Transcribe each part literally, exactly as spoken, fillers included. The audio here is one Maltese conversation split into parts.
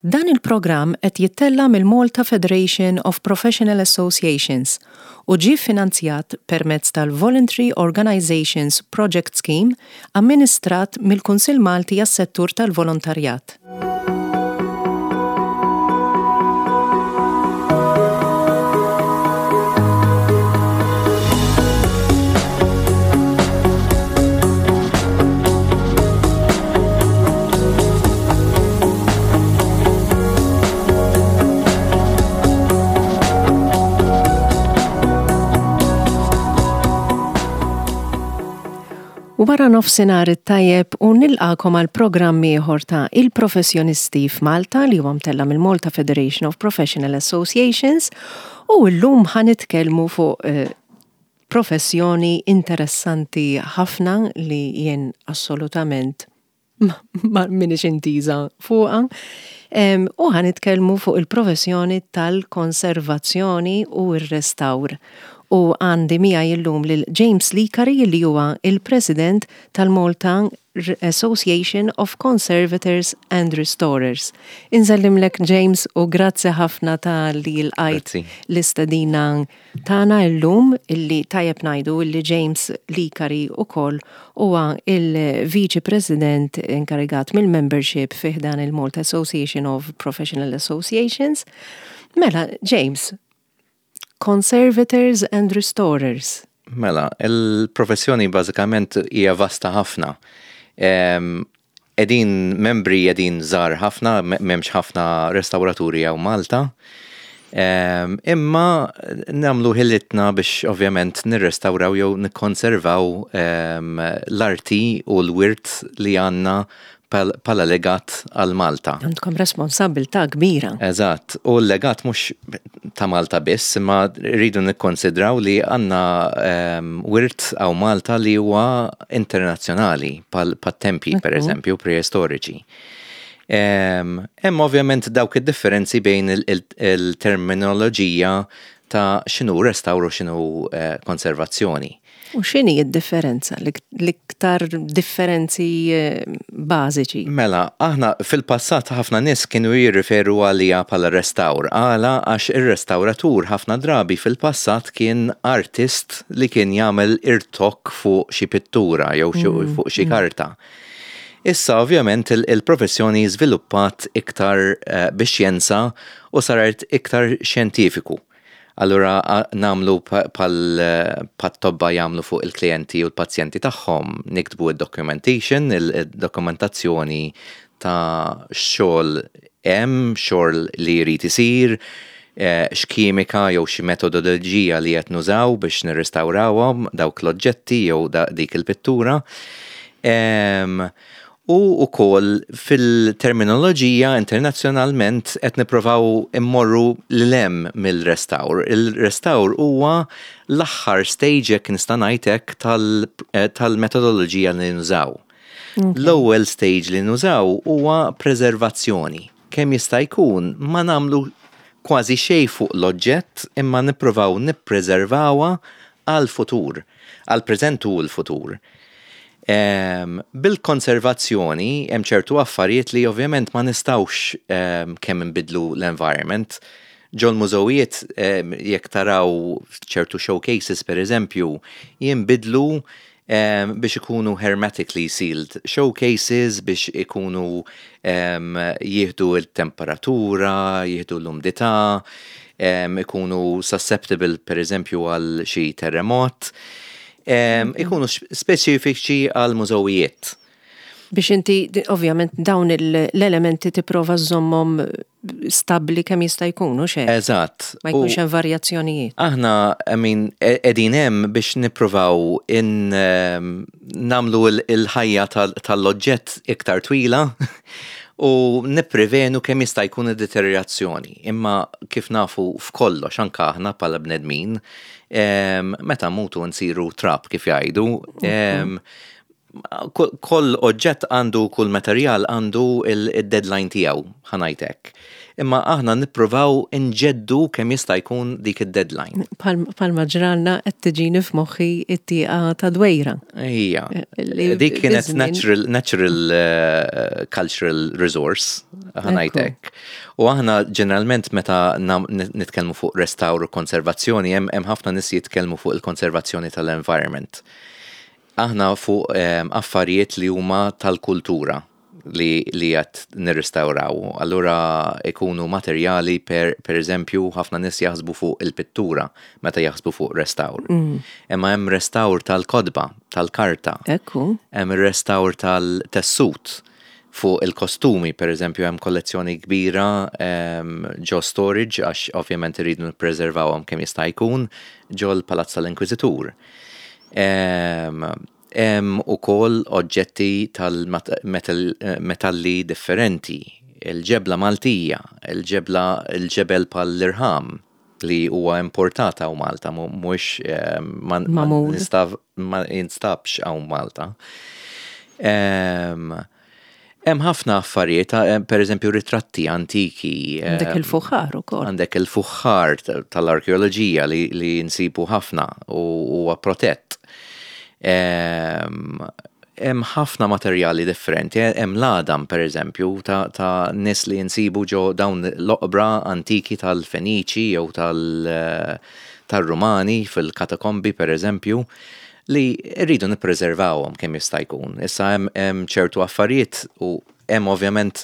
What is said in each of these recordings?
Dan il-programm qed jittella' mill-Malta Federation of Professional Associations u ġie finanzjat permezz tal-Voluntary Organizations Project Scheme amministrat mill-Kunsill Malti għas-Settur tal-Volontarjat. Wara nofsinhar it-tajjeb u nilqakom għal programm ieħor ta' Il-Professjonisti f'Malta li huwa mtella' mill-Malta Federation of Professional Associations u llum ħa nitkellmu fuq eh, professjoni interessanti ħafna li jien assolutament ma minix intiża fuqha. U ħa nitkellmu fuq il-professjoni tal-konservazzjoni u r-restawr. U għandi miegħi illum lil James Licari li huwa il-President tal-Malta Association of Conservators and Restorers. Insellimlek, James, u grazzi ħafna ta' li lqajt l-istedina tagħna illum, illi tajjeb ngħidu illi James Licari ukoll huwa il-Viċi President inkarigat mill-membership fi ħdan il-Malta Association of Professional Associations. Mela, James, Conservators and Restorers. Mela, il-professjoni bażikament hija vasta ħafna. Edin membri edin żgħar ħafna, m'hemmx ħafna restawraturi hawn Malta. Imma nagħmlu ħilitna biex ovvjament nirrestawraw jew nikkonservaw l-arti u l-wirt li għandna bħala legat għal Malta. Għandkom responsabilità kbira. Eżatt, u l-legat mhux ta' Malta biss, imma rridu nikkonsidraw li għandna wirt hawn Malta li huwa internazzjonali, bħat-tempji per eżempju, preistoriċi. Hemm ovvjament dawk id-differenzi bejn il-terminoloġija ta' x'inhu restawr u x'inhu konservazzjoni. U x'inhi d-differenza, l-iktar differenzi bażiċi? Mela, aħna fil-passat ħafna nies kienu jirriferu għalija bħala restawr. Għala għax ir-restawratur ħafna drabi fil-passat kien artist li kien jagħmel irtokk fuq xi pittura jew fuq xi karta. Issa ovvjament il-professjoni żviluppat iktar bix-xjenza u saret iktar xjentifiku. Allura nagħmlu bħat-tobba jagħmlu fuq il-klijenti u l-pazjenti tagħhom, niktbu id-documentation, il-dokumentazzjoni ta' xogħol hemm, xogħol li jrid isir, x'kimika jew xi metodoloġija li qed nużaw biex nirrestawrawhom dawk l-oġġetti jew dik il-pittura. U wkoll fil-terminoloġija internazzjonalment qed nippruvaw immorru lil hemm mill-restawr. Il-restawr huwa l-aħħar stage, jekk nista' ngħid hekk, tal-metodoloġija li nużaw. L-ewwel stage li nużaw huwa preservazzjoni. Kemm jista' jkun ma nagħmlu kważi xejn fuq l-oġġett imma nippruvaw nippreservawha għal-futur, għal-preżent u l-futur. Bil-konservazzjoni hemm ċertu affarijiet li ovvjament ma nistgħux kemm inbidlu l-environment. Ġol mużewijiet, jekk taraw ċertu showcases per eżempju, jinbidlu biex ikunu hermetically sealed showcases, biex ikunu jieħdu l-temperatura, jieħdu l-umdità, ikunu susceptible per eżempju għal xi terremot. Ikunu speċifiċi għal mużewijiet. Biex inti, ovvjament, dawn l-elementi tipprova żżommhom stabbli kemm jista' jkun, u xejn. Eżatt. Ma jkunx hemm varjazzjonijiet. Aħna, I mean, qegħdin hemm biex nippruvaw nagħmlu il-ħajja tal-oġġett iktar twila u nipprevenu kemm jista' jkun id-deteriorazzjoni. Imma kif nafu f'kollox, anke aħna bħala bnedmin, meta mutu nsiru trab kif jgħidu, Kull oġġett għandu, kull materjal għandu il-deadline tiegħu, ħa ngħidlek. Imma aħna nippruvaw inġeddu kemm jista' jkun dik id-deadline. Bħalma ġralna, qed tiġini f'moħħi it-tieqa ta' Dwejra. Ija. Dik kienet natural, natural uh, cultural resource, ħa ngħidlek. U aħna ġeneralment meta nitkellmu fuq restawr u konservazzjoni, hemm ħafna nies jitkellmu fuq il-konservazzjoni tal-environment. Aħna fuq affarijiet li huma tal-kultura li li qed nirrestawraw. Allura ikunu materjali, per, per eżempju, ħafna nies jaħsbu fuq il-pittura meta jaħsbu fuq restawr. Mm. Imma hemm restawr tal-kotba, tal-karta. Ekku. Hemm restawr tal-tessut fuq il-kostumi, per eżempju, hemm kollezzjoni kbira ġo storage, għax ovvjament irridu nippreservawhom kemm jista' jkun, ġo l-Palazz tal-Inkwiżitur. Hemm ukoll oġġetti tal-metalli differenti, il-ġebla Maltija, il-ġebla il-ġebel bħall-irħam li huwa importata hawn Malta, mhux ma ma jinstabx hawn Malta. Hemm ħafna affarijiet, per eżempju ritratti antiki. Għandek il-fuħħar ukoll. Għandek il-fuħħar tal-arkeoloġija li, li nsibu ħafna u huwa protett. Hemm ħafna materjali differenti, hemm l-għadam, per eżempju, ta', ta nies li nsibu ġo dawn l-oqbra antiki tal-Feniċi jew tal-Rumani fil-katakombi, per eżempju, li rridu nippreservawhom kemm jista' jkun. Issa hemm ċertu affarijiet u hemm ovvjament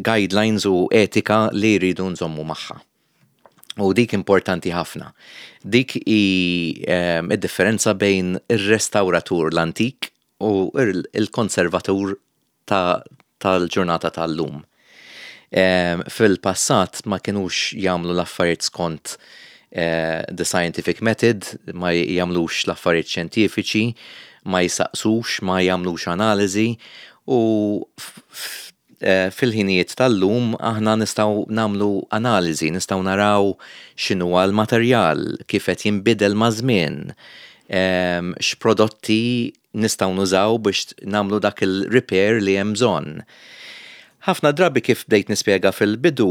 guidelines u etika li rridu nżommu magħha. U dik importanti ħafna. Dik hi id-differenza bejn ir-restauratur l-antik u il-konservatur tal-ġurnata tal-lum. Fil-passat ma kienux jagħmlu l-affarijiet skont eh, the scientific method, ma jagħmlux l-affarijiet xjentifiċi, ma jisaqsux, ma jagħmlux analiżi u eh, fil-ħinijiet tal-lum aħna nistgħu nagħmlu analiżi, nistgħu naraw x'inhu l-materjal, kif qed jinbidel maż-żmien, x'prodotti nistgħu nużaw biex nagħmlu dak il-repair li hemm bżonn. Ħafna drabi, kif bdejt nispjega fil-bidu,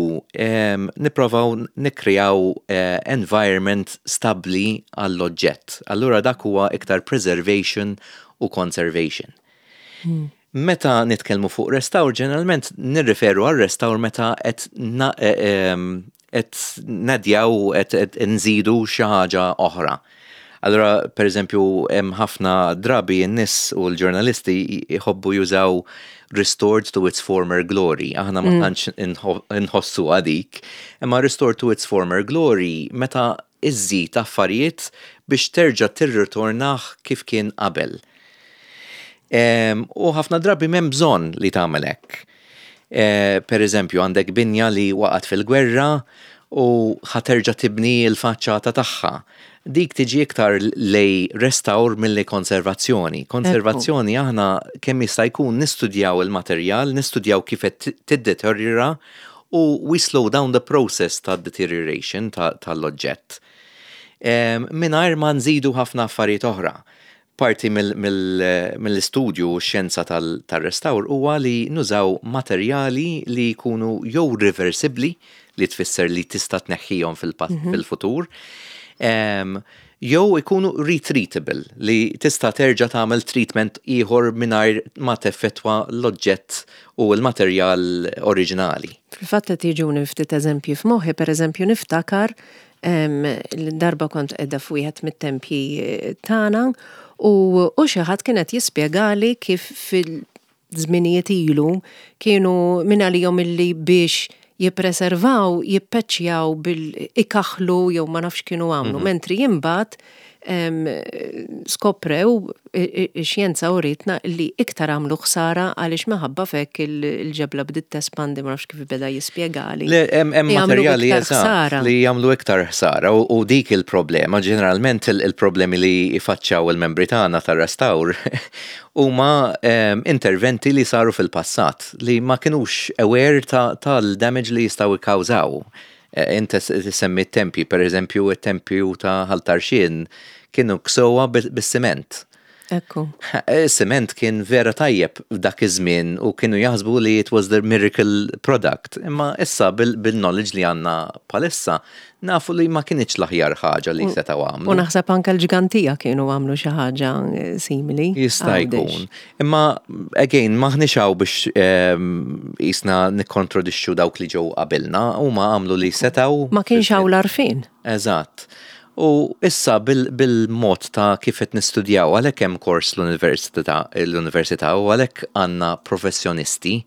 nipprovaw nikkrejaw eh, environment stabli għall-oġġett. Allura dak huwa iktar preservation u conservation. Hmm. Meta nitkellmu fuq restawr, ġeneralment nirriferu għal restawr meta qed eh, qed naddjaw, qed nżidu xi ħaġa oħra. Allora, per eżempju, hemm ħafna drabi n-nies u l-ġurnalisti jħobbu jużaw "restored to its former glory". Aħna ma mm. tantx inħossu għadik. Imma restored to its former glory meta iżżid affarijiet biex terġa' tirritornah kif kien qabel. U ħafna drabi m'hemm bżonn li tagħmel hekk. E, per eżempju, għandek binja li waqgħet fil-gwerra u ħa terġa' tibni l-faċċata tagħha. Dik tiġi iktar lejn restawr milli konservazzjoni. Konservazzjoni aħna kemm jista' jkun nistudjaw il-materjal, nistudjaw kif qed tiddeteriora u we slow down the process ta' deterioration tal-oġġett. Mingħajr ma nżidu ħafna affarijiet oħra. Parti mill-istudju u xjenza tal-restawr huwa li nużaw materjali li jkunu jew reversibli, li tfisser li tista' tneħħihom mhm. fil-futur, jew ikunu retreatable, li tista' terġa' tagħmel treatment ieħor mingħajr ma teffettwa l-oġġett u l-materjal oriġinali. Fil-fatt qed jiġuni ftit eżempji f'moħħi, pereżempju niftakar l-darba kont qiegħda f'wieħed mit-tempji eh, tagħna u u xi ħadd kien qed jispjegali kif fil-żminijiet ilu kienu minn għalihom illi biex jippreservaw, jippeċjaw bil-ikaħlu jew ma nafx kienu għamlu, mhm. mentri imbagħad skoprew, xjenza uritna li iktar għamlu ħsara għaliex minħabba f'hekk il-ġebla bdiet tespandi, ma nafx kif beda jispjegali. Hemm materjali li jagħmlu iktar ħsara u dik il-problema, ġeneralment il-problemi li jfaċċaw il-membri tagħna tar-restawr huma interventi li saru fil-passat li ma kinux aware tal-damage li jistgħu jikkawżaw. E, inti semmi tempi, per eżempju, it-tempju ta' Ħal Tarxien kienu ksewha bis-siment. Ekku. Siment kien vera tajjeb dak iż-żmien u kienu jaħsbu li it was the miracle product. Imma issa bil-knowledge li għandna bħalissa nafu li ma kinitx l-aħjar ħaġa li setgħu għamlu. U naħseb anke l-Ġgantija kienu għamlu xi ħaġa eh, simili. Jista' jkun. Imma again, m'aħniex hawn biex qisna nikkontradixxu dawk li ġew qabilna u ma għamlu li setgħu. Ma kienx hawn l-għarfien. Eżatt. U issa bil-mod ta' kif qed nistudjaw, għalhekk hemm kors l-università l-università u għalhekk għandna professjonisti.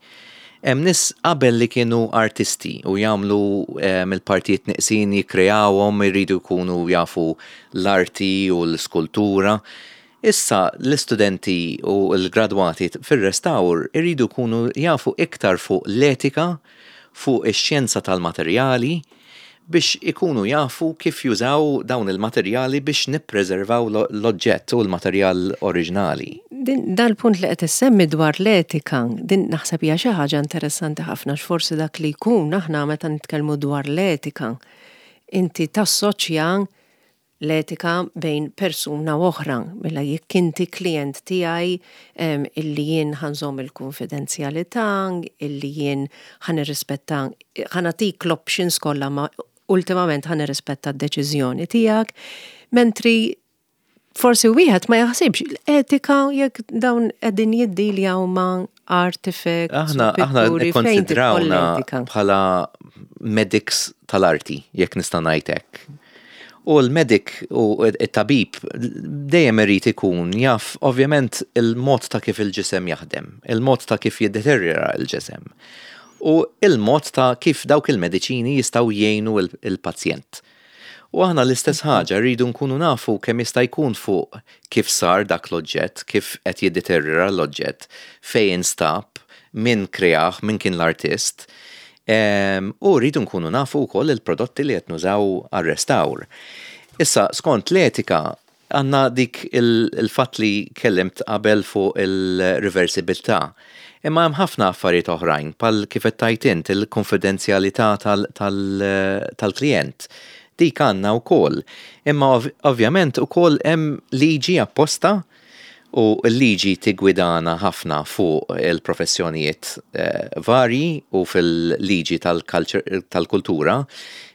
Hemm nies qabel li kienu artisti u jagħmlu il-partijiet neqsin, jikkreawhom, iridu jkunu jafu l-arti u l-skultura. Issa l-istudenti u l-gradwati fir-restawr iridu jkunu jafu iktar fuq l-etika, fuq ix-xjenza tal-materjali, biex ikunu jafu kif jużaw dawn il-materjali biex nippreservaw l-oġġett u l-materjal oriġinali. Din dal-punt li qed issemmi dwar l-etika, din naħseb hija xi ħaġa interessanti ħafna, x'forsi dak li jkun aħna meta nitkellmu dwar l-etika, inti tassoċja l-etika bejn persuna u oħra. Mela jekk inti klient tiegħi illi jien ħa nżomm il-konfidenzjalità, illi jien ħa nirrispetta, ħa nagħtik l-options kollha, ma ultimament ħa nirrispetta d-deċiżjoni tiegħek, mentri forsi wieħed ma jaħsibx l-etika jekk dawn qegħdin jiddiljaw ma' artifacts. Aħna aħna nikkonsidrawna bħala medics tal-arti, jekk nista' ngħid hekk. U l-medic u it-tabib dejjem irid ikun jaf ovvjament il-mod ta' kif il-ġisem jaħdem, il-mod ta' kif jiddeterjora il-ġisem u il-mod ta' kif dawk il-mediċini jistgħu jgħinu il-pazjent. U aħna l-istess ħaġa, rridu nkunu nafu kemm jista' jkun fuq kif sar dak l-oġġett, kif qed jiddeterjora l-oġġett, fejn instab, min kreah, min kien l-artist. U rridu nkunu nafu wkoll il-prodotti li qed nużaw għar-restawr. Issa, skont l-etika, għandna dik il-fatt li kellimt qabel fuq il-reversibilità. Imma hemm ħafna affarijiet oħrajn, bħal kif qed tgħid int, il-konfidenzjalità tal-klient. Dik għandna wkoll. Imma ovvjament ukoll hemm liġi apposta u l-liġi tigwidana ħafna fuq il-professjonijiet eh, varji u fil-liġi tal-kultura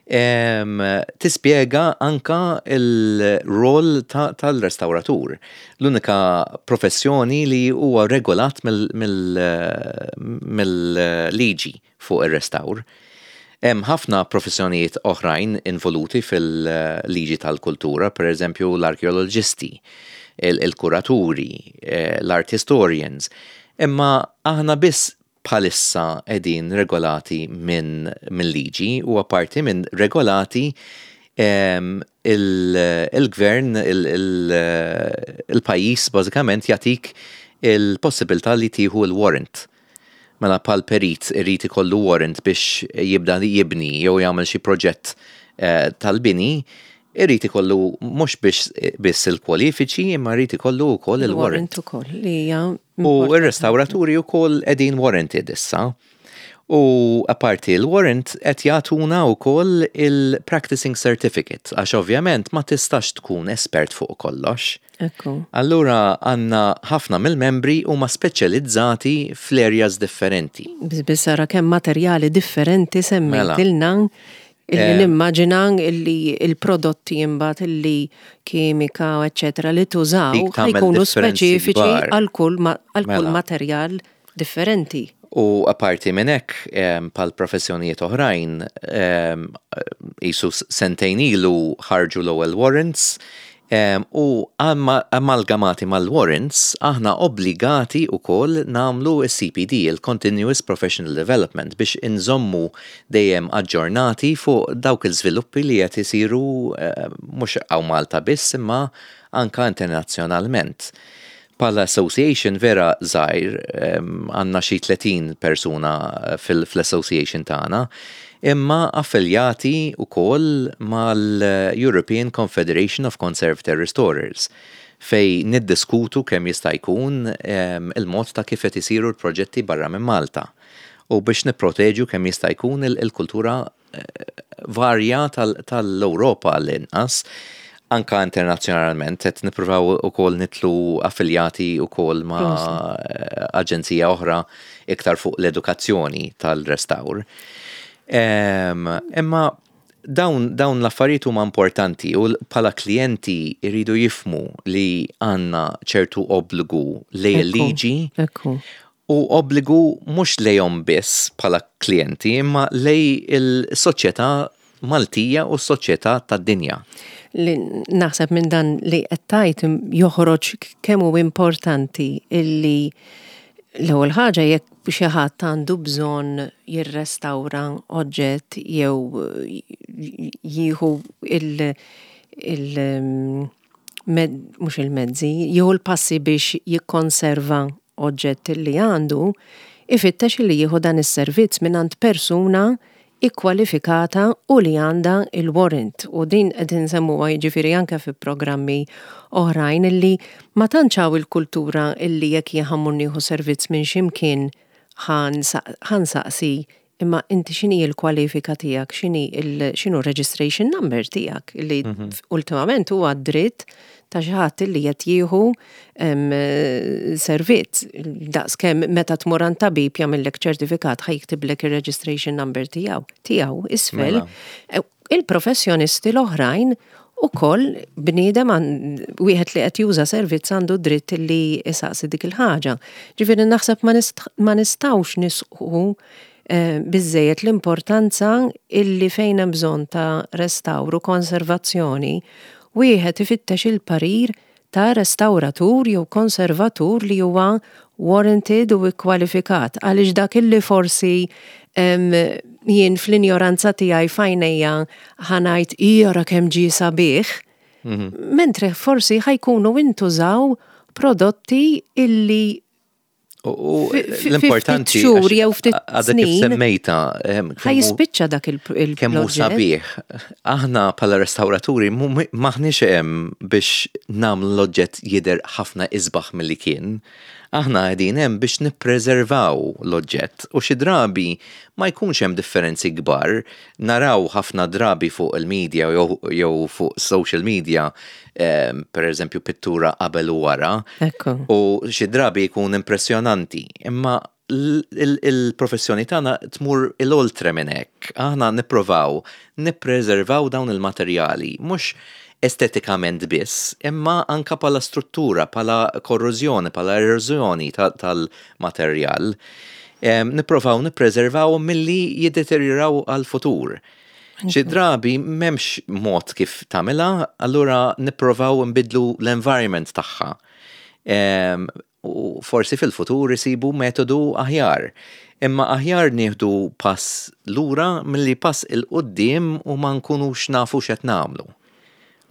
tispjega anka il-rol tal-restauratur. L-unika professjoni li huwa regolat mill-liġi fuq il-restawr. Hemm ħafna professjonijiet oħrajn involuti fil-liġi tal-kultura, per eżempju l-arkeoloġisti, il-kuraturi, eh, l-art historians. Imma aħna biss bħalissa qegħdin regolati minn min liġi u apparti minn regolati il-gvern, il-pajjiż bażikament jagħtik il-possibilità li tieħu il-warrant. Mela bħal perit irid ikollu warrant biex jibda jibni jew jagħmel xi proġett eh, tal-bini, irrid ikollu mhux biex biss il-kwalifiċi, imma jrid ikollu wkoll il-warrant. Ukoll li hija U r-restawraturi wkoll qegħdin warranted issa. U apparti il-warrant qed jagħtuna wkoll il-practicing certificate, għax ovvjament ma tistax tkun espert fuq kollox. Ekku. Allura għandna ħafna mill-membri huma speċjalizzati fl-areas differenti. Biss ara kemm materjali differenti semmejtilna illi Eh. nimmaġina illi il-prodotti imbagħad illi kimika, eccetera, li tużaw Dik tagħmel ħa jkunu differenzi speċifiċi kbar. għal kull ma- għal kull Mela. materjal differenti. U apparti minn hekk, em, bħal professjonijiet oħrajn, em, qisu sentejn ilu ħarġu l-ewwel warrants, em, u amma- amalgamati mal-warrants, aħna obbligati wkoll nagħmlu il-C P D, il-Continuous Professional Development, biex inżommu dejjem aġġornati fuq dawk il-żviluppi li qed isiru eh, mhux hawn Malta biss, imma anka internazzjonalment. Bħala association vera żgħir, għandna xi tletin persuna fil- fl-association tagħna, imma affiljati wkoll mal-European Confederation of Conservator Restorers, fej niddiskutu kemm jista' jkun em, il-mod ta' kif qed isiru l-proġetti barra minn Malta u biex nipproteġu kemm jista' jkun il- il-kultura eh, varja tal- tal-Ewropa l-inqas. Anka internazzjonalment, qed nippruvaw ukoll nidħlu affiljati ukoll ma' aġenzija oħra iktar fuq l-edukazzjoni tal-restawr. Imma dawn, dawn l-affarijiet huma importanti u bħala klijenti jridu jifhmu li għandna ċertu obbligu lejn il-liġi u obbligu mhux lejhom biss bħala klijenti, imma lejn il-soċjetà Maltija u s-soċjetà tad-dinja. Li naħseb minn dan li qed tgħid joħroġ kemm hu importanti illi l-ewwel ħaġa, jekk xi ħadd għandu bżonn jirrestawra oġġett jew jieħu il- il mhux il-mezzi, jieħu l-passi biex jikkonserva oġġett li għandu, ifittex li jieħu dan is-servizz minn persuna ikkwalifikata u li għandha il-warrant. U din qed insemmuha, jiġifieri, anke fi programmi oħrajn, illi ma tantx hawn il-kultura illi jekk jien ħa mmur nieħu servizz minn ximkien ħa nsaqsi, imma inti x'inhi l-kwalifika tiegħek, x'inhi x'inhu registration number tiegħek, illi mhm. ultimament huwa dritt ta' xi ħadd li qed jieħu servizz. Daqs kemm meta tmur għand tabib jagħmellek ċertifikat, ħa jiktiblek ir-registration number tiegħu tiegħu isfel. Mela. E, il-professjonisti l-oħrajn ukoll, bniedem wieħed li qed juża servizz għandu dritt li isaqsi dik il-ħaġa. Ġifieri naħseb ma nistgħux nisħu eh, biżejjed l-importanza illi fejn hemm bżonn ta' restawru, konservazzjoni, wieħed ifittex il-parir ta' restauratur jew konservatur li huwa warranted u kwalifikat, għaliex dak illi forsi jien fl-injoranza tiegħi f'għajnejja ħa ngħid, "Ira kemm ġie sabiħ," mhm. mentre forsi ħa jkunu intużaw prodotti illi U l-importanti xhur jew ftit snin. Semmejta. Ħa jispiċċa dak il Kemm hu sabiħ. Aħna bħala restauraturi maħniex hemm biex nagħmlu l-oġġett jidher ħafna isbaħ milli kien. Aħna qegħdin hemm biex nippreservaw l-oġġett u xi drabi ma jkunx hemm differenzi kbar. Naraw ħafna drabi fuq il-media jew fuq social media, per eżempju, pittura qabel u wara. U xi drabi jkun impressjonanti. Imma il-professjoni tagħna tmur il-oltre minn hekk. Aħna nipprovaw nippreservaw dawn il-materjali, mhux estetikament biss, imma anka bħala struttura, bħala korrożjoni, bħala erożjoni tal-materjal. Nipprovaw nippreservaw milli jiddeterjoraw għal-futur. Xi drabi m'hemmx mod kif tagħmilha, allura nipprovaw nbidlu l-environment tagħha. U forsi fil-futur isibu metodu aħjar. Imma aħjar nieħdu pass lura milli pass 'il quddiem u ma nkunux nafu x'qed nagħmlu.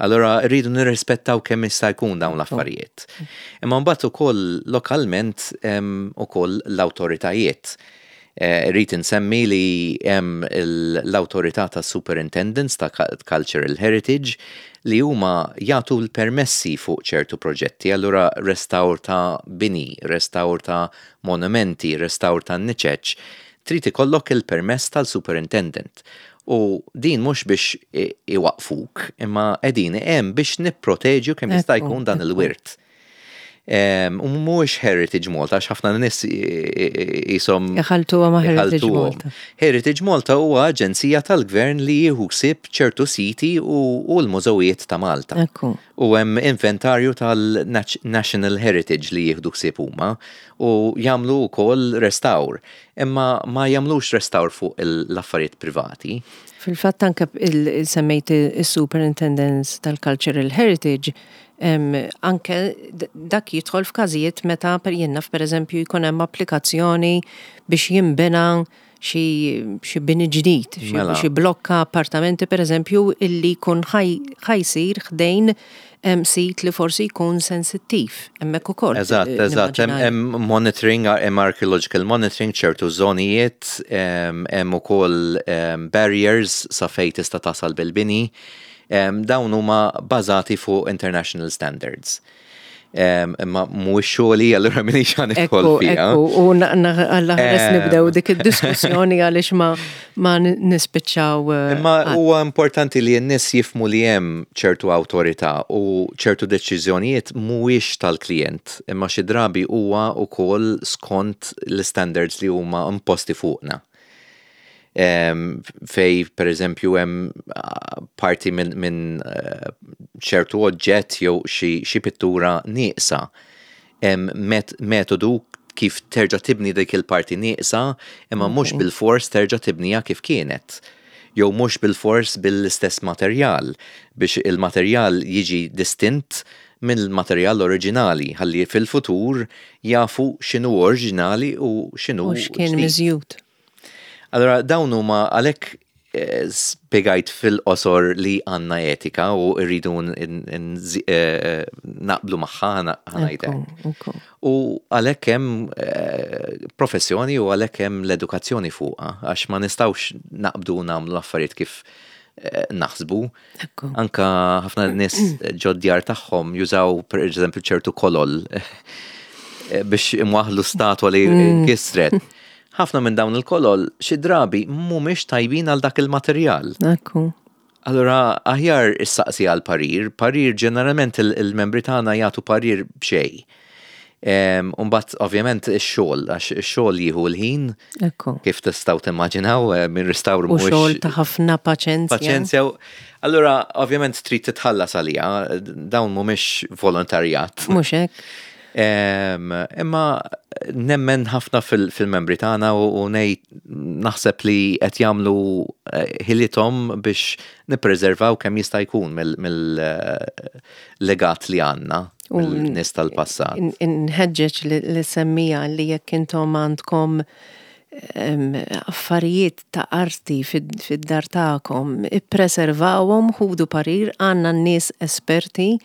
Allora rridu nirrispettaw kemm jista' jkun dawn l-affarijiet. Imma mbagħad ukoll lokalment ukoll l-awtoritajiet. Eh, rrid insemmi li hemm l-awtorità ta' Superintendents ta' Cultural Heritage li huma jagħtu l-permessi fuq ċertu proġetti, allura restawr ta' bini, restawr ta' monumenti, restawr ta' niċeċ, trid ikollok il-permess tal-superintendent. U din mhux biex iwaqfuk, imma qegħdin hemm biex nipproteġu kemm jista' jkun dan il-wirt. U mhuwiex Heritage Malta, għax ħafna nies jisom. Iħalltuha ma' Heritage Malta. Heritage Malta huwa aġenzija tal-gvern li jieħu ħsieb ċertu siti u l-mużewijiet ta' Malta. U hemm inventarju tal-National Heritage li jieħdu ħsieb huma u jagħmlu wkoll restawr. Imma ma jagħmlux restawr fuq l-affarijiet privati. Fil-fatt anke semmejt il-Superintendence tal-Cultural Heritage, anke dak jidħol f'każijiet meta per jien naf, per eżempju, jkun hemm applikazzjoni biex jinbena xi bini ġdid, xi mela. blokka appartamenti, per eżempju, illi jkun ħa jsir ħdejn sit li forsi jkun sensittiv, hemmhekk ukoll. Eżatt, eżatt, hemm monitoring, hemm archaeological monitoring, ċertu żonijiet, hemm ukoll barriers sa fejn tista' tasal bil-bini. Dawn huma bażati fuq international standards. Imma mhuwiex xogħli, allura m'iniex ħa nidħol fiha. U Alla ħares nibdew dik id-diskussjoni, għaliex ma Ma nispiċċaw. Eh, Imma huwa importanti li n-nies jifhmu li hemm ċertu awtorità u ċertu deċiżjonijiet mhuwiex tal-klient, imma xi drabi huwa wkoll skont l-standards li huma imposti fuqna. Fejn per eżempju hemm parti minn min, eh, ċertu oġġett jew xi pittura nieqsa. Hemm metodu kif terġa' tibni dik il-parti nieqsa, imma mhux bil-fors terġa' tibniha kif kienet. Jew mhux bil-fors bil-istess materjal biex il-materjal jiġi distint mill-materjal oriġinali, ħalli fil-futur jafu x'inhu oriġinali u x'inhu. U x'kien miżjud. Allora dawn huma għalhekk eh, spiegajt fil-qosor li għandna etika u rridu eh, naqblu magħha, ħa ngħidlek. U għalhekk hemm eh, professjoni u għalhekk hemm l-edukazzjoni fuqha, għax ma nistgħux naqbdu nagħmlu affarijiet kif naħsbu. Anka ħafna nies ġod-djar tagħhom jużaw, per eżempju, ċertu kolol biex imwaħlu statwa li mm. kisret. Ħafna minn dawn il-kolol xi drabi mhumiex tajbin għal dak il-materjal. Ekku. Allora aħjar issaqsi għal parir, parir ġeneralment il-membri tagħna jagħtu parir b'xejn. Umbagħad ovvjament ix-xogħol, għax ix-xogħol jieħu l-ħin. Kif tistgħu timmaġinaw eh, minn restawr. U xogħol ta' ħafna paċenzja. Paċenzja. Allura ovvjament trid titħallas għalija, dawn mhumiex volontarjat. Mhux hekk. Imma nemmen ħafna fil-membri tagħna u ngħid naħseb li qed jagħmlu eh, ħilithom biex nippreservaw kemm jista' jkun mill-legat li għandna mill-nies tal-passat. Inħeġġeġ li semmija li jekk intom għandkom affarijiet ta' arti fid-dar tagħkom, ippreservawhom, ħudu parir, għandna n-nies esperti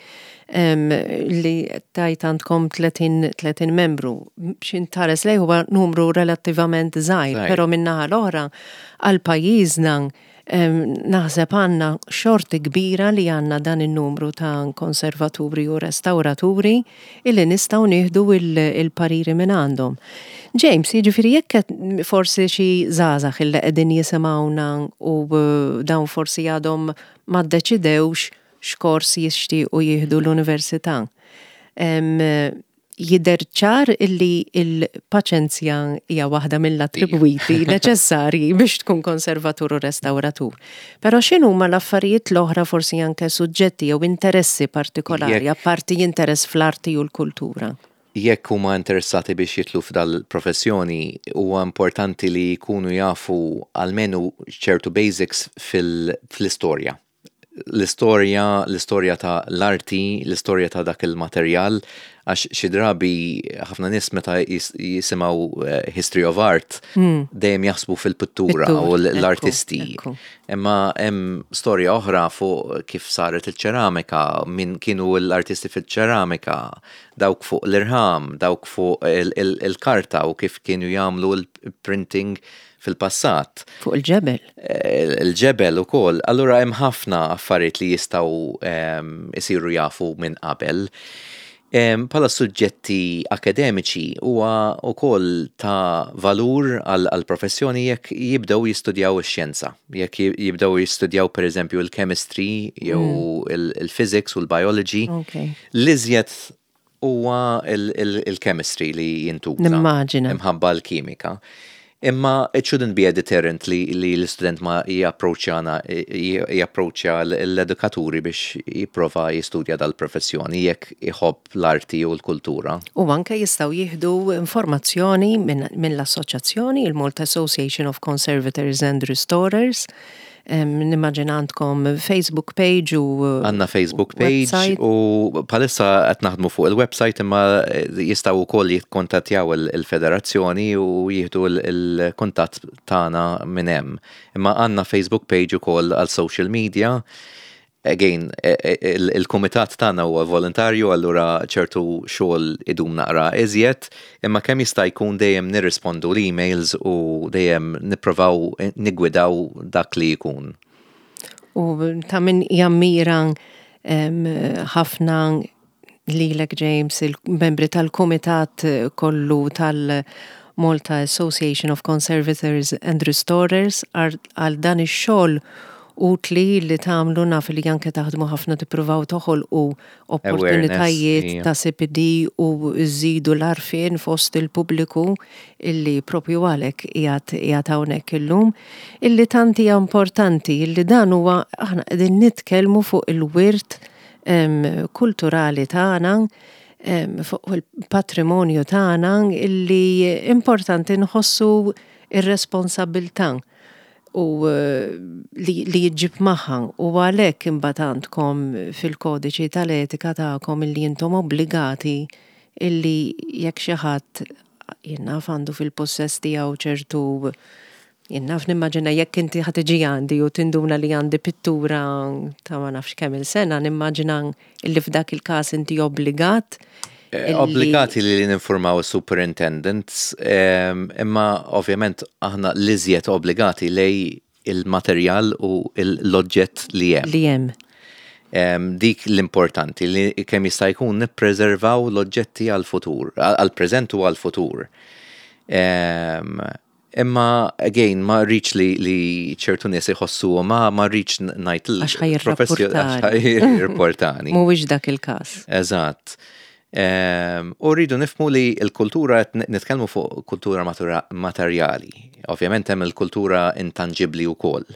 li tajt għandkom tletin membru. X'ħin tħares lejh huwa numru relattivament żgħir, però min-naħa l-oħra għal pajjiżna naħseb għandna xorti kbira li għandna dan il-numru ta' konservaturi u restauraturi illi nistgħu nieħdu il-pariri minn għandhom. James, jiġifieri jekk forsi xi żgħażagħ illi qegħdin jisimgħuna u eh, dawn forsi għadhom ma ddeċidewx x'kors jixtiequ jieħdu l-università. Jidher ċar illi il-paċenzja hija waħda mill-attribwiti neċessarji biex tkun konservatur u restauratur. Però x'inhuma l-affarijiet l-oħra, forsi anke suġġetti jew interessi partikolari, apparti interess fl-arti u l-kultura? Jekk huma interessati biex jidħlu f'dal-professjoni, huwa importanti li jkunu jafu almenu ċertu basics fil-istorja. L-istorja, l-istorja ta' l-arti, l-istorja ta' dak il-materjal, għax xi drabi ħafna nies meta jisimgħu eh, history of art mm. dejjem jaħsbu fil-pittura u l-artisti. Imma hemm storja oħra fuq kif saret il-ċeramika, min kienu l-artisti fil-ċeramika, dawk fuq l-irħam, dawk fuq il-karta u kif kienu jagħmlu l-printing fil-passat. Fuq il-ġebel. Eh, il-ġebel ukoll. Allura hemm ħafna affarijiet li jistgħu isiru jafu minn qabel. Bħala suġġetti akademiċi huwa wkoll ta' valur għal professjoni jekk jibdew jistudjaw ix-xjenza. Jekk jibdew jistudjaw, pereżempju, il-chemistry jew mm. il-physics u l-biology. L-iżjed huwa il-chemistry li jintuża. Nimmaġina. Imħabba l-kimika. Imma it shouldn't be a deterrent li, li l-student ma japproċċjana japproċċja l-edukaturi biex jipprova jistudja dal-professjoni jekk iħobb l-arti u l-kultura. U anke jistgħu jieħdu informazzjoni minn min l-assoċjazzjoni, il-Malta Association of Conservators and Restorers. Nimmaġina għandkom Facebook page u Għandna Facebook page u bħalissa qed naħdmu fuq il-website, imma jistgħu wkoll jikkontattjaw il-federazzjoni u jieħdu il-kuntatt tagħna minn hemm. Imma għandna Facebook page ukoll għal social media. Again, e, e, il-kumitat tagħna huwa volontarju, allura ċertu xogħol idum naqra iżjed, imma kemm jista' jkun dejjem nirrispondu l-emails u dejjem nipprovaw nigwidaw dak li jkun. U ta' min jammira ħafna lilek, James, il-membri tal-kumitat kollu tal- Malta Association of Conservators and Restorers, għal dan ix-xogħol utli li tagħmlu. Naf li anke taħdmu ħafna tippruvaw toħolqu opportunitajiet ta' C P D u żżidu l-għarfien fost il-pubbliku, illi propju għalhekk qiegħed hawnhekk illum, illi tant hija importanti, illi dan huwa, aħna qegħdin nitkellmu fuq il-wirt kulturali tagħna, fuq il-patrimonju tagħna, illi importanti nħossu ir-responsabbiltà u eh, li, li jġib magħha, u għalhekk imbagħad għandkom fil-kodiċi tal-etika tagħkom illi intom obbligati illi jekk xi ħadd, jien naf, għandu fil-possess tiegħu ċertu, jien naf, nimmaġina jekk inti ħa tiġi għandi u tinduna li għandi pittura ta' ma nafx kemm il-sena, nimmaġina illi f'dak il-każ inti obbligat Eh, obbligati li ninformaw superintendents, imma ovvjament aħna l-iżjed obbligati lejn il-materjal u l-oġġett li hemm. Li hemm. Dik l-importanti, li kemm jista' jkun nippreservaw l-oġġetti għal-futur, għal-preżent u għal-futur. Imma, again, ma rridx li, li ċertu nies iħossu, ma ma rridx ngħid. Għax ħa jirrapportani. Mhuwiex dak il-każ. Eżatt. U rridu nifhmu li l-kultura, nitkellmu fuq kultura materjali. Ovvjament hemm il-kultura intangibli wkoll,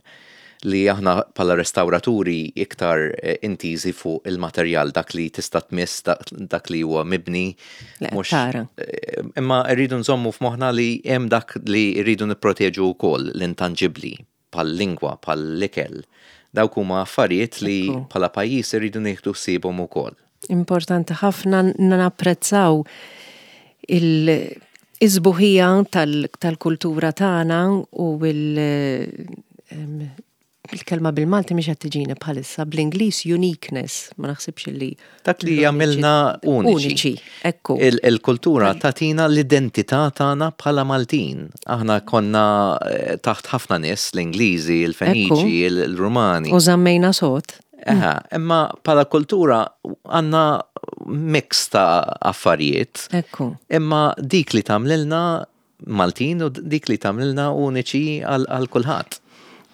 li aħna bħala restauraturi iktar eh, intiżi fuq il-materjal, dak li tista' tmiss, dak li huwa mibni. Mhux eh, imma rridu nżommu f'moħħna li hemm dak li rridu nipproteġu wkoll, l-intangibli, bħal-lingwa, bħal-ikel. Dawk huma affarijiet li bħala pajjiż irridu nieħdu ħsiebhom ukoll. Importanti ħafna napprezzaw il-sbuħija tal-kultura tagħna u il- il-kelma bil-Malti mhix qed tiġini bħalissa, bl-Ingliż uniqueness, ma naħsibx li. Dak li jagħmilna uniċi. Uniċi, ekku. Il-kultura tagħtina l-identità tagħna bħala Maltin. Aħna konna eh, taħt ħafna nies, l-Ingliżi, il-Feniċi, il-Rumani. U żammejna sod. Eħa, imma bħala kultura għandna mix ta' affarijiet. Ekku. Imma dik li tagħmlilna Maltin u dik li tagħmlilna uniċi għal kulħadd.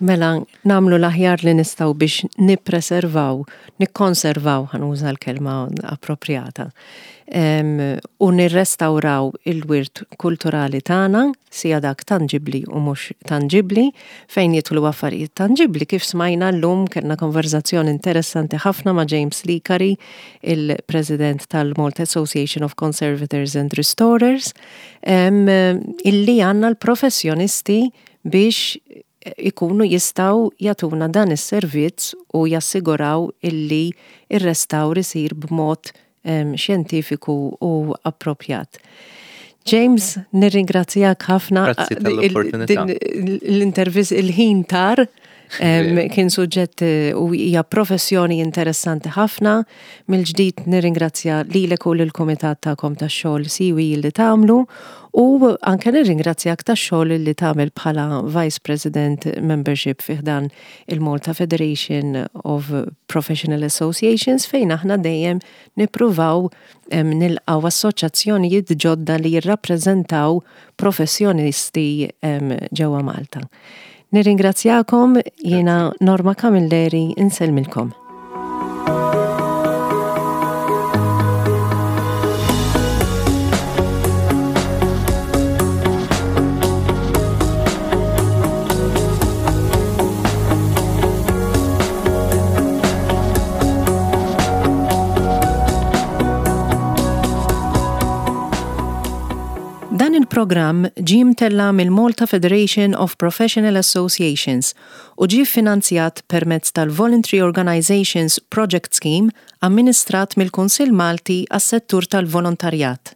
Mela, nagħmlu l-aħjar li nistgħu biex nippreservaw, nikkonservaw, ħa nuża l-kelma appropriata, u nirrestawraw il-wirt kulturali tagħna, sija dak tangibli u mhux tangibli. Fejn jidħlu affarijiet tangibli, kif smajna llum, kellna konverzazzjoni interessanti ħafna ma' James Licari, il-President tal-Malta Association of Conservators and Restorers, illi għandna l-professjonisti biex ikunu jistgħu jagħtuna dan is-servizz u jassiguraw illi ir-restawr isir b'mod xjentifiku u approprjat. James, nirringrazzjak ħafna. Grazzi tal-opportunità. L-intervist, il-ħin tar, kien suġġett eh, u hija professjoni interessanti ħafna. Mill-ġdid nirringrazzja lilek u lill-kumitat tagħkom tax-xogħol siwi li tagħmlu, u anke nirringrazzjak tax-xogħol li tagħmel bħala Vice President Membership fi ħdan il-Malta Federation of Professional Associations, fejn aħna dejjem nippruvaw nilqgħu assoċjazzjonijiet ġodda li jirrappreżentaw professjonisti ġewwa Malta. Nirringrazzjakom, jiena Norma Camilleri, insellmilkom. Dan il-programm ġie mtella' mill-Malta Federation of Professional Associations u ġie finanzjat permezz tal-Voluntary Organizations Project Scheme, amministrat mill-Kunsill Malti għas-settur tal-volontarjat.